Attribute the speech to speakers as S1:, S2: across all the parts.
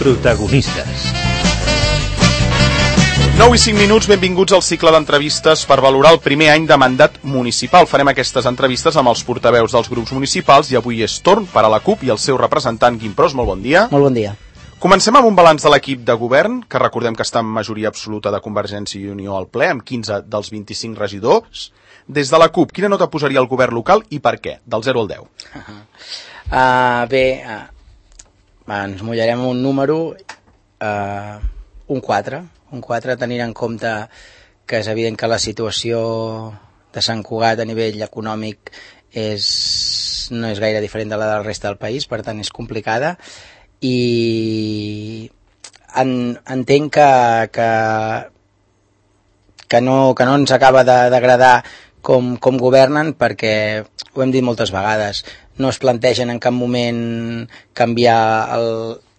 S1: Protagonistes.
S2: 9 i 5 minuts, benvinguts al cicle d'entrevistes per valorar el primer any de mandat municipal. Farem aquestes entrevistes amb els portaveus dels grups municipals i avui és torn per a la CUP i el seu representant Guim Pros. Molt bon dia.
S3: Molt bon dia.
S2: Comencem amb un balanç de l'equip de govern, que recordem que està en majoria absoluta de Convergència i Unió al ple, amb 15 dels 25 regidors. Des de la CUP, quina nota posaria el govern local i per què? Del 0 al 10.
S3: Ens mullarem un número, un 4. Un 4, tenint en compte que és evident que la situació de Sant Cugat a nivell econòmic no és gaire diferent de la de la resta del país, per tant és complicada, i entenc que no ens acaba d'agradar com governen, perquè ho hem dit moltes vegades, no es plantegen en cap moment canviar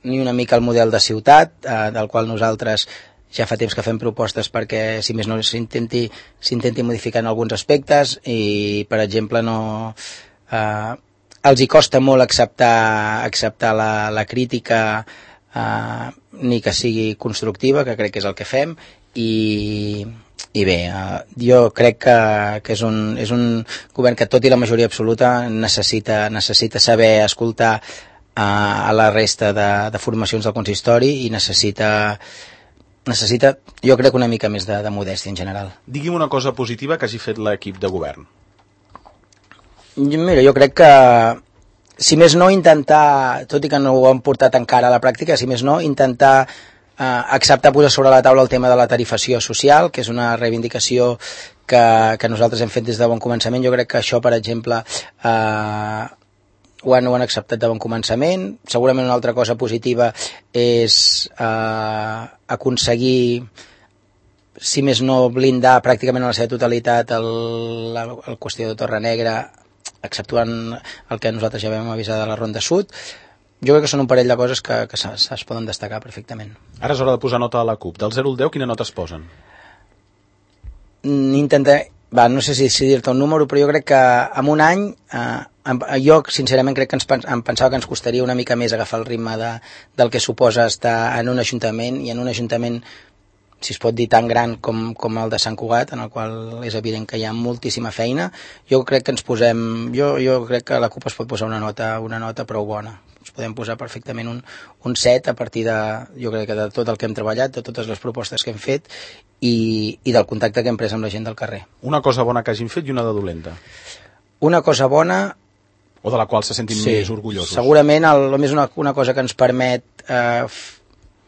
S3: ni una mica el model de ciutat, del qual nosaltres ja fa temps que fem propostes perquè, si més no, s'intenti modificar en alguns aspectes, i, per exemple, els hi costa molt acceptar la crítica, ni que sigui constructiva, que crec que és el que fem, i bé, jo crec que és un govern que, tot i la majoria absoluta, necessita saber escoltar a la resta de formacions del consistori, i necessita, jo crec, una mica més de modèstia en general.
S2: Digui'm una cosa positiva que hagi fet l'equip de govern.
S3: Mira, jo crec que, si més no, intentar, tot i que no ho han portat encara a la pràctica, si més no, intentar acceptar posar sobre la taula el tema de la tarifació social, que és una reivindicació que nosaltres hem fet des de bon començament. Jo crec que això, per exemple, ho han acceptat de bon començament. Segurament una altra cosa positiva és aconseguir, si més no, blindar pràcticament en la seva totalitat la qüestió de Torre Negra, exceptuant el que nosaltres ja vam avisar de la Ronda Sud. Jo crec que són un parell de coses que es poden destacar perfectament.
S2: Ara és hora de posar nota a la CUP. Del 0 al 10, quina nota es posen?
S3: No sé si dir-te un número, però jo crec que en un any, jo sincerament crec que em pensava que ens costaria una mica més agafar el ritme del que suposa estar en un ajuntament, i en un ajuntament, si es pot dir, tan gran com el de Sant Cugat, en el qual és evident que hi ha moltíssima feina. Jo crec que jo crec que la CUP es pot posar una nota prou bona. Ens podem posar perfectament un 7 a partir jo crec que de tot el que hem treballat, de totes les propostes que hem fet i del contacte que hem pres amb la gent del carrer.
S2: Una cosa bona que hagin fet i una de dolenta.
S3: Una cosa bona...
S2: O de la qual se sentin més orgullosos.
S3: Segurament, només una cosa que ens permet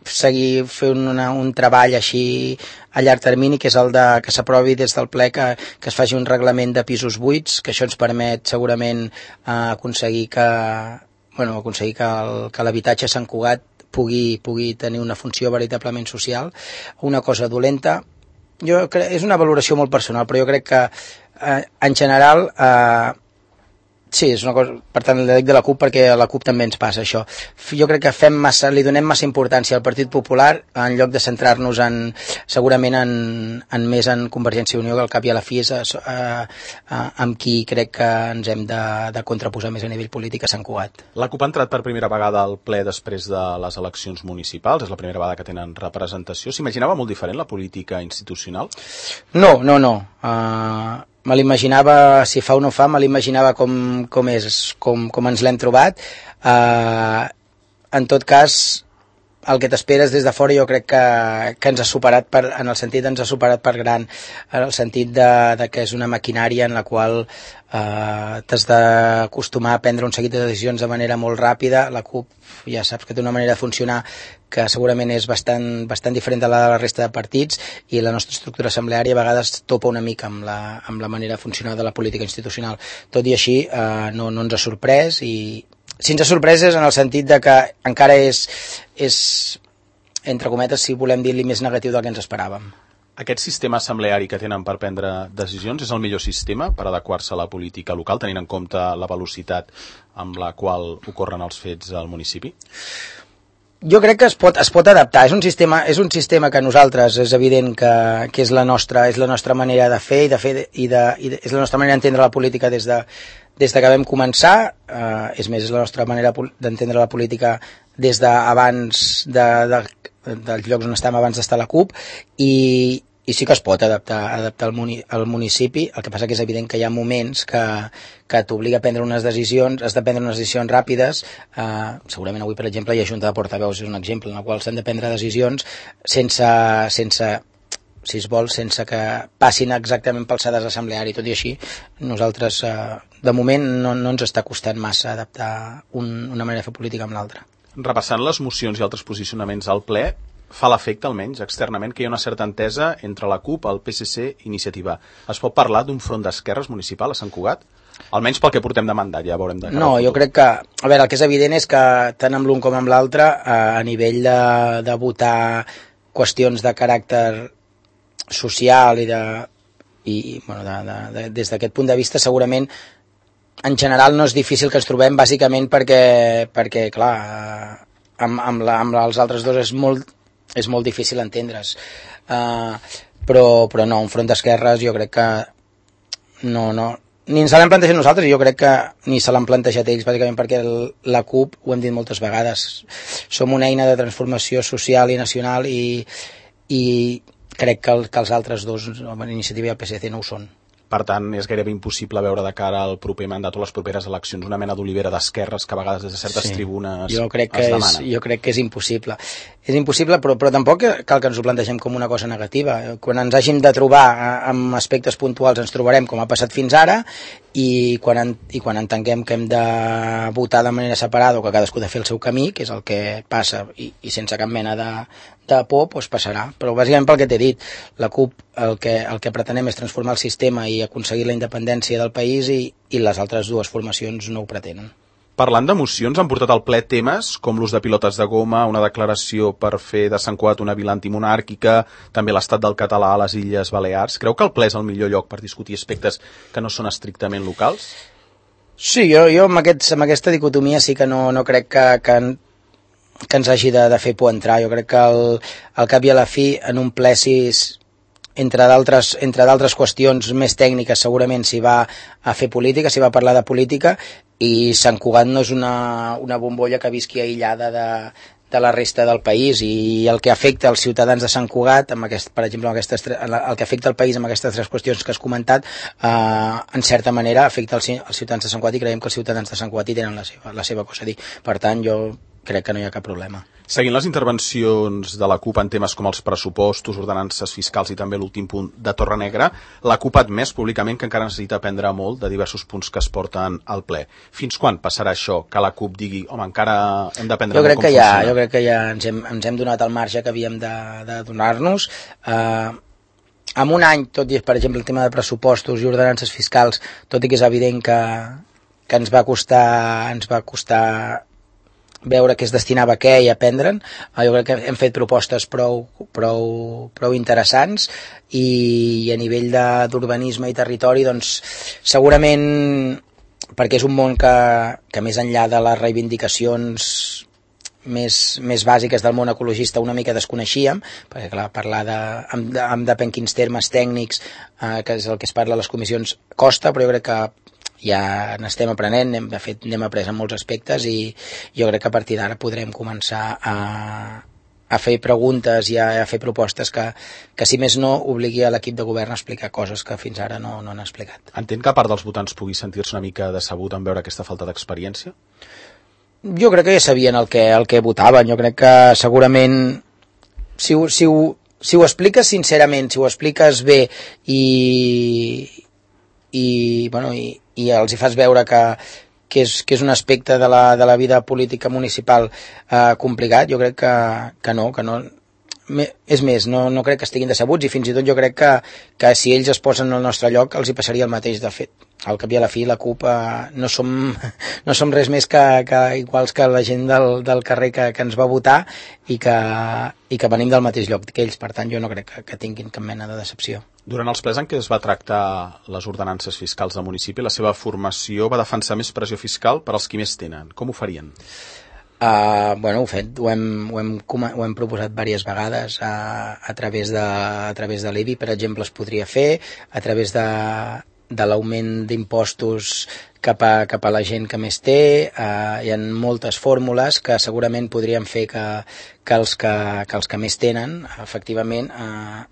S3: seguir fent un treball així a llarg termini, que és el que s'aprovi des del ple que es faci un reglament de pisos buits, que això ens permet segurament aconseguir que l'habitatge a Sant Cugat pugui tenir una funció veritablement social. Una cosa dolenta, jo crec, és una valoració molt personal, però jo crec que en general sí, és una cosa, per tant, li dic de la CUP perquè a la CUP també ens passa això. Jo crec que li donem massa importància al Partit Popular en lloc de centrar-nos segurament més en Convergència i Unió, que al cap i a la fi és amb qui crec que ens hem de contraposar més a nivell polític a Sant Cugat.
S2: La CUP ha entrat per primera vegada al ple després de les eleccions municipals, és la primera vegada que tenen representació. S'imaginava molt diferent la política institucional?
S3: No. Me l'imaginava, si fa o no fa, me l'imaginava com ens l'hem trobat. En tot cas, el que t'esperes des de fora, jo crec que ens ha superat, en el sentit ens ha superat per gran, en el sentit de que és una maquinària en la qual t'has d'acostumar a prendre un seguit de decisions de manera molt ràpida. La CUP ja saps que té una manera de funcionar que segurament és bastant diferent de la resta de partits, i la nostra estructura assembleària a vegades topa una mica amb la manera de funcionar de la política institucional. Tot i així, no ens ha sorprès, i si ens ha sorprès és en el sentit de que encara és, entre cometes, si volem dir-li, més negatiu del que ens esperàvem.
S2: Aquest sistema assembleari que tenen per prendre decisions és el millor sistema per adequar-se a la política local, tenint en compte la velocitat amb la qual ocorren els fets al municipi?
S3: Jo crec que es pot adaptar. És un sistema que nosaltres és evident que és la nostra manera de fer és la nostra manera d'entendre la política des que vam començar. És més, és la nostra manera d'entendre la política des d'abans dels llocs on estàvem abans d'estar a la CUP, i sí que es pot adaptar al municipi. El que passa que és evident que hi ha moments que t'obliga a prendre unes decisions, has de prendre unes decisions ràpides. Segurament avui, per exemple, hi ha Junta de Portaveus, és un exemple en el qual s'han de prendre decisions sense si es vol, sense que passin exactament pel sedàs assembleari. Tot i així, nosaltres, de moment, no ens està costant massa adaptar una manera de fer política amb l'altra.
S2: Repassant les mocions i altres posicionaments al ple, fa l'efecte, almenys externament, que hi ha una certa entesa entre la CUP, el PSC i Iniciativa. Es pot parlar d'un front d'esquerres municipal a Sant Cugat? Almenys pel que portem de mandat, ja veurem de cara al futur.
S3: No, jo crec que... A veure, el que és evident és que tant amb l'un com amb l'altre, a nivell de votar qüestions de caràcter social des d'aquest punt de vista, segurament en general no és difícil que ens trobem, bàsicament perquè clar, amb els altres dos és molt difícil entendre's. Però no, un front d'esquerres jo crec que no, ni ens l'hem plantejat nosaltres, jo crec que ni se l'han plantejat ells, bàsicament perquè la CUP, ho hem dit moltes vegades, som una eina de transformació social i nacional, i crec que els altres dos, Iniciativa i el PSC, no ho són.
S2: Per tant, és gairebé impossible veure de cara al proper mandat o les properes eleccions una mena d'olivera d'esquerres que a vegades des de certes tribunes es demanen.
S3: Jo crec que és impossible. És impossible, però tampoc cal que ens ho plantegem com una cosa negativa. Quan ens hàgim de trobar amb aspectes puntuals ens trobarem com ha passat fins ara, i quan entenguem que hem de votar de manera separada o que cadascú ha de fer el seu camí, que és el que passa, i sense cap mena de por, doncs passarà. Però bàsicament pel que t'he dit, la CUP el que pretenem és transformar el sistema i aconseguir la independència del país, i les altres dues formacions no ho pretenen.
S2: Parlant de mocions, han portat al ple temes com l'ús de pilotes de goma, una declaració per fer de Sant Cugat una vila antimonàrquica, també l'estat del català a les Illes Balears. Creu que el ple és el millor lloc per discutir aspectes que no són estrictament locals?
S3: Sí, jo amb aquesta dicotomia sí que no crec que ens hagi de fer por entrar. Jo crec que al cap i a la fi, en un ple, entre d'altres qüestions més tècniques, segurament s'hi va a fer política, s'hi va a parlar de política, i Sant Cugat no és una bombolla que visqui aïllada de la resta del país, i el que afecta els ciutadans de Sant Cugat, per exemple, el que afecta el país amb aquestes tres qüestions que has comentat, en certa manera afecta els ciutadans de Sant Cugat, i creiem que els ciutadans de Sant Cugat hi tenen la seva cosa a dir. Per tant, jo crec que no hi ha cap problema.
S2: Seguint les intervencions de la CUP en temes com els pressupostos, ordenances fiscals i també l'últim punt de Torrenegra, la CUP ha admès públicament que encara necessita aprendre molt de diversos punts que es porten al ple. Fins quan passarà això, que la CUP digui, home, encara hem d'aprendre molt com funciona?
S3: Jo crec que ja ens hem donat el marge que havíem de donar-nos. En un any, tot i, per exemple, el tema de pressupostos i ordenances fiscals, tot i que és evident que ens va costar veure què es destinava a què i aprendre'n, jo crec que hem fet propostes prou interessants, i a nivell d'urbanisme i territori, doncs segurament, perquè és un món que més enllà de les reivindicacions més bàsiques del món ecologista una mica desconeixíem, perquè clar, parlar amb depèn quins termes tècnics, que és el que es parla a les comissions, costa, però jo crec que ja n'estem aprenent, n'hem après en molts aspectes, i jo crec que a partir d'ara podrem començar a fer preguntes i a fer propostes que si més no obligui a l'equip de govern a explicar coses que fins ara no han explicat.
S2: Entenc que a part dels votants pugui sentir-se una mica decebut en veure aquesta falta d'experiència?
S3: Jo crec que ja sabien el que votaven. Jo crec que segurament si ho expliques sincerament, si ho expliques bé i els hi fas veure que és un aspecte de la vida política municipal complicat, jo crec que no. És més, no crec que estiguin decebuts, i fins i tot jo crec que si ells es posen al nostre lloc els hi passaria el mateix. De fet, al cap i a la fi, la CUP no som res més que iguals que la gent del carrer que ens va votar i que venim del mateix lloc que ells. Per tant, jo no crec que tinguin cap mena de decepció.
S2: Durant els plens en què es va tractar les ordenances fiscals del municipi, la seva formació va defensar més pressió fiscal per als qui més tenen. Com ho farien?
S3: Bueno, ho hem proposat diverses vegades a través de l'IBI, per exemple, es podria fer, a través de l'augment d'impostos cap a la gent que més té. Hi ha moltes fórmules que segurament podrien fer que els que més tenen, efectivament,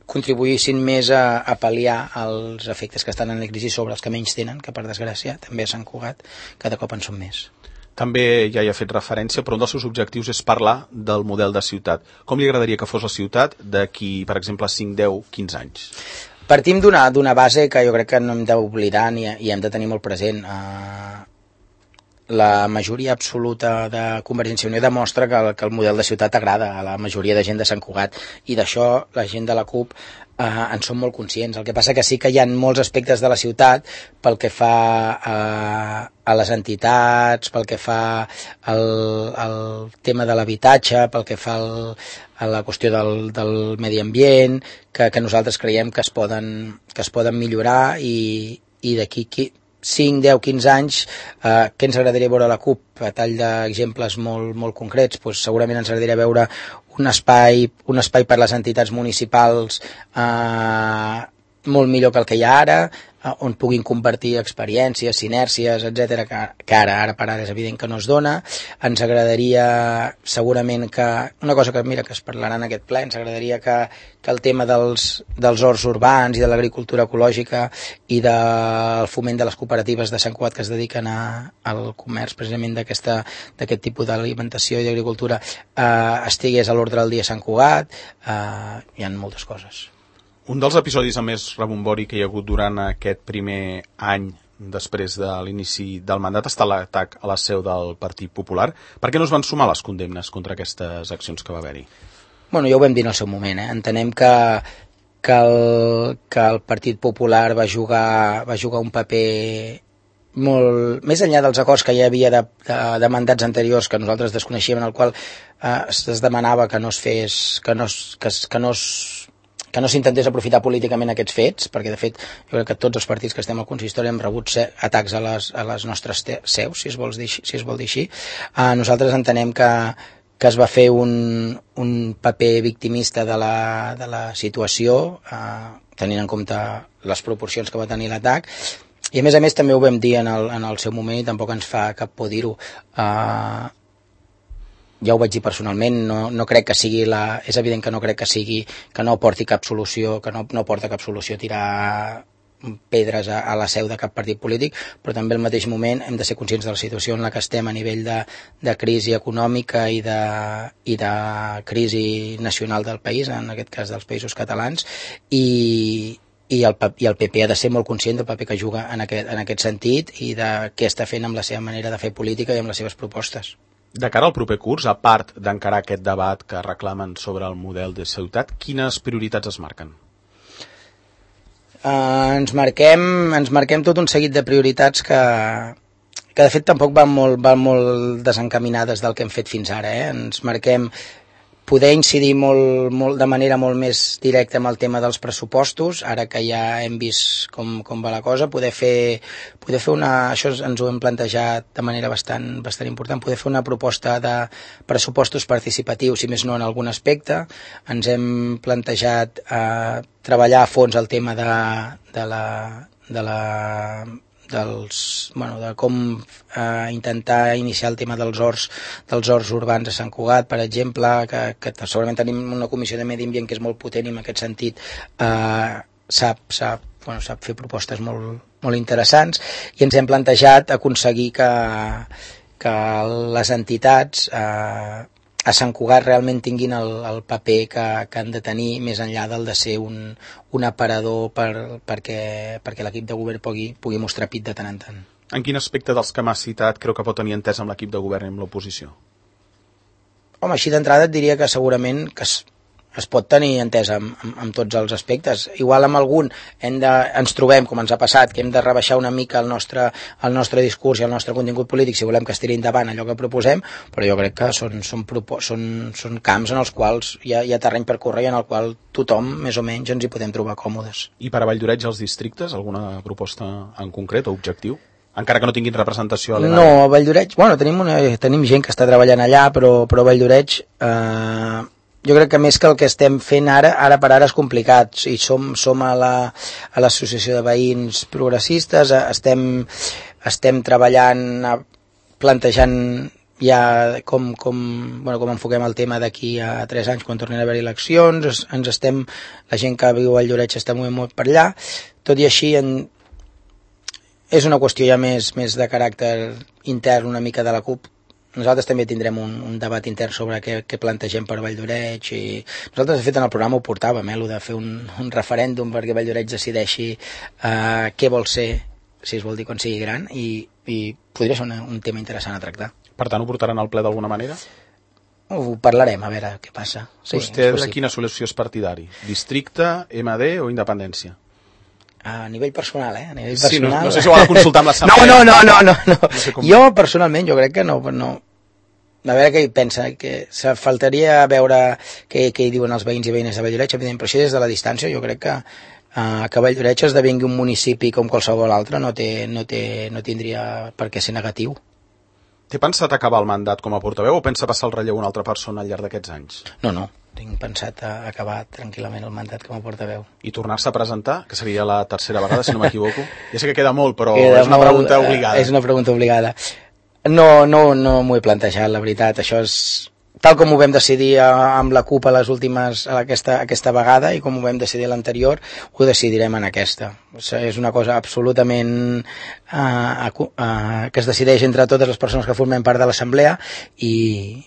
S3: contribuïssin més a pal·liar els efectes que estan en la crisi sobre els que menys tenen, que per desgràcia també a Sant Cugat cada cop en són més.
S2: També ja hi ha fet referència, però un dels seus objectius és parlar del model de ciutat. Com li agradaria que fos la ciutat d'aquí, per exemple, 5, 10, 15 anys?
S3: Partim d'una base que jo crec que no hem d'oblidar i hem de tenir molt present. La majoria absoluta de Convergència i Unió demostra que el model de ciutat agrada a la majoria de gent de Sant Cugat, i d'això la gent de la CUP en som molt conscients. El que passa que sí que hi ha molts aspectes de la ciutat, pel que fa a les entitats, pel que fa al tema de l'habitatge, pel que fa a la qüestió del medi ambient, que nosaltres creiem que es poden millorar, i d'aquí 5, 10, 15 anys, què ens agradaria veure a la CUP? A tall d'exemples molt concrets, doncs segurament ens agradaria veure un espai per les entitats municipals molt millor que el que hi ha ara, on puguin compartir experiències, sinèrcies, etc, que ara per ara és evident que no es dona. Ens agradaria segurament que, una cosa que es parlarà en aquest ple, ens agradaria que el tema dels horts urbans i de l'agricultura ecològica i del foment de les cooperatives de Sant Cugat que es dediquen al comerç precisament d'aquest tipus d'alimentació i d'agricultura estigués a l'ordre del dia a Sant Cugat. Hi ha moltes coses.
S2: Un dels episodis amb més rebombori que hi ha hagut durant aquest primer any després de l'inici del mandat està l'atac a la seu del Partit Popular. Per què no es van sumar les condemnes contra aquestes accions que va haver-hi?
S3: Bueno, ja ho vam dir en el seu moment. Entenem que el Partit Popular va jugar un paper molt més enllà dels acords que hi havia de mandats anteriors que nosaltres desconeixíem, en el qual es demanava que no s'intentés aprofitar políticament aquests fets, perquè de fet jo crec que tots els partits que estem al consistori hem rebut atacs a les nostres seus, si es vol dir així. Nosaltres entenem que es va fer un paper victimista de la situació, tenint en compte les proporcions que va tenir l'atac, i a més també ho vam dir en el seu moment i tampoc ens fa cap por dir-ho. Ja ho vaig dir personalment, no crec que sigui és evident que no crec que sigui, que no porti cap solució, que no porta cap solució tirar pedres a la seu de cap partit polític, però també al mateix moment hem de ser conscients de la situació en la que estem a nivell de crisi econòmica i de crisi nacional del país, en aquest cas dels països catalans, i el PP ha de ser molt conscient del paper que juga en aquest sentit i de què està fent amb la seva manera de fer política i amb les seves propostes.
S2: De cara al proper curs, a part d'encarar aquest debat que reclamen sobre el model de ciutat, quines prioritats es marquen?
S3: Ens marquem tot un seguit de prioritats que de fet tampoc van molt desencaminades del que hem fet fins ara. Ens marquem poder incidir molt de manera molt més directa amb el tema dels pressupostos, ara que ja hem vist com va la cosa, poder fer això ens ho hem plantejat de manera bastant important, poder fer una proposta de pressupostos participatius, si més no en algun aspecte. Ens hem plantejat treballar a fons el tema de com intentar iniciar el tema dels horts urbans a Sant Cugat, per exemple, que segurament tenim una comissió de medi ambient que és molt potent i en aquest sentit sap fer propostes molt interessants, i ens hem plantejat aconseguir que les entitats a Sant Cugat realment tinguin el paper que han de tenir, més enllà del de ser un aparador perquè l'equip de govern pugui mostrar pit de tant en tant.
S2: En quin aspecte dels que m'has citat creu que pot tenir entès amb l'equip de govern i amb l'oposició?
S3: Home, així d'entrada et diria que segurament que es pot tenir entès amb tots els aspectes. Igual amb algun ens trobem, com ens ha passat, que hem de rebaixar una mica el nostre discurs i el nostre contingut polític si volem que es tiri endavant allò que proposem, però jo crec que són camps en els quals hi ha terreny per córrer i en el qual tothom, més o menys, ens hi podem trobar còmodes.
S2: I per a Valldoreix, els districtes, alguna proposta en concret o objectiu? encara que no tinguin representació a l'ENAC?
S3: No, a Valldoreix, bueno, tenim gent que està treballant allà, però a Valldoreix jo crec que més que el que estem fent ara per ara és complicat, i som a l'associació de veïns progressistes, estem treballant, plantejant ja com enfoquem el tema d'aquí a 3 anys quan tornin a haver eleccions, la gent que viu a Valldoreix està movent molt per allà, tot i així és una qüestió ja més de caràcter intern una mica de la CUP. Nosaltres també tindrem un debat intern sobre què plantegem per Valldoreix, i nosaltres de fet en el programa ho portàvem, el de fer un referèndum perquè Valldoreix decideixi què vol ser, si es vol dir quan sigui gran, i podria ser un tema interessant a tractar.
S2: Per tant, ho portaran al ple d'alguna manera?
S3: Ho parlarem, a veure què passa. Sí,
S2: vostè de quina solució és partidari? Districte, MD o independència?
S3: A nivell personal, A nivell personal...
S2: Sí, no sé si ho ha de consultar amb l'assemblea.
S3: No. Jo, personalment, jo crec que no. A veure què hi pensa, que faltaria veure què hi diuen els veïns i veïnes de Valldoreix, evidentment, però així des de la distància jo crec que Valldoreix esdevingui un municipi com qualsevol altre no tindria per què ser negatiu.
S2: Té pensat acabar el mandat com a portaveu o pensa passar el relleu a una altra persona al llarg d'aquests anys?
S3: No, tinc pensat acabar tranquil·lament el mandat com a portaveu.
S2: I tornar-se a presentar, que seria la tercera vegada, si no m'equivoco? Ja sé que queda molt, però és una pregunta obligada.
S3: És una pregunta obligada. No m'ho he plantejat, la veritat. Això és tal com ho vam decidir amb la CUP aquesta vegada, i com ho vam decidir l'anterior, ho decidirem en aquesta. És una cosa absolutament que es decideix entre totes les persones que formem part de l'assemblea, i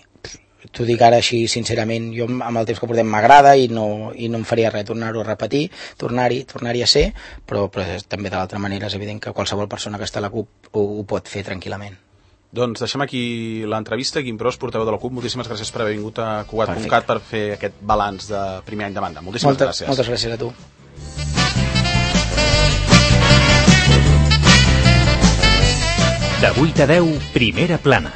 S3: t'ho dic ara així sincerament, jo amb el temps que portem m'agrada i no em faria res tornar-ho a repetir, tornar-hi a ser, però també de l'altra manera és evident que qualsevol persona que està a la CUP ho pot fer tranquil·lament.
S2: Doncs deixem aquí l'entrevista. Guim Pros, portaveu de la CUP, moltíssimes gràcies per haver vingut a Cugat.cat per fer aquest balanç de primer any de mandat. Moltíssimes gràcies.
S3: Moltes gràcies a tu.
S1: De 8 a 10, Primera Plana.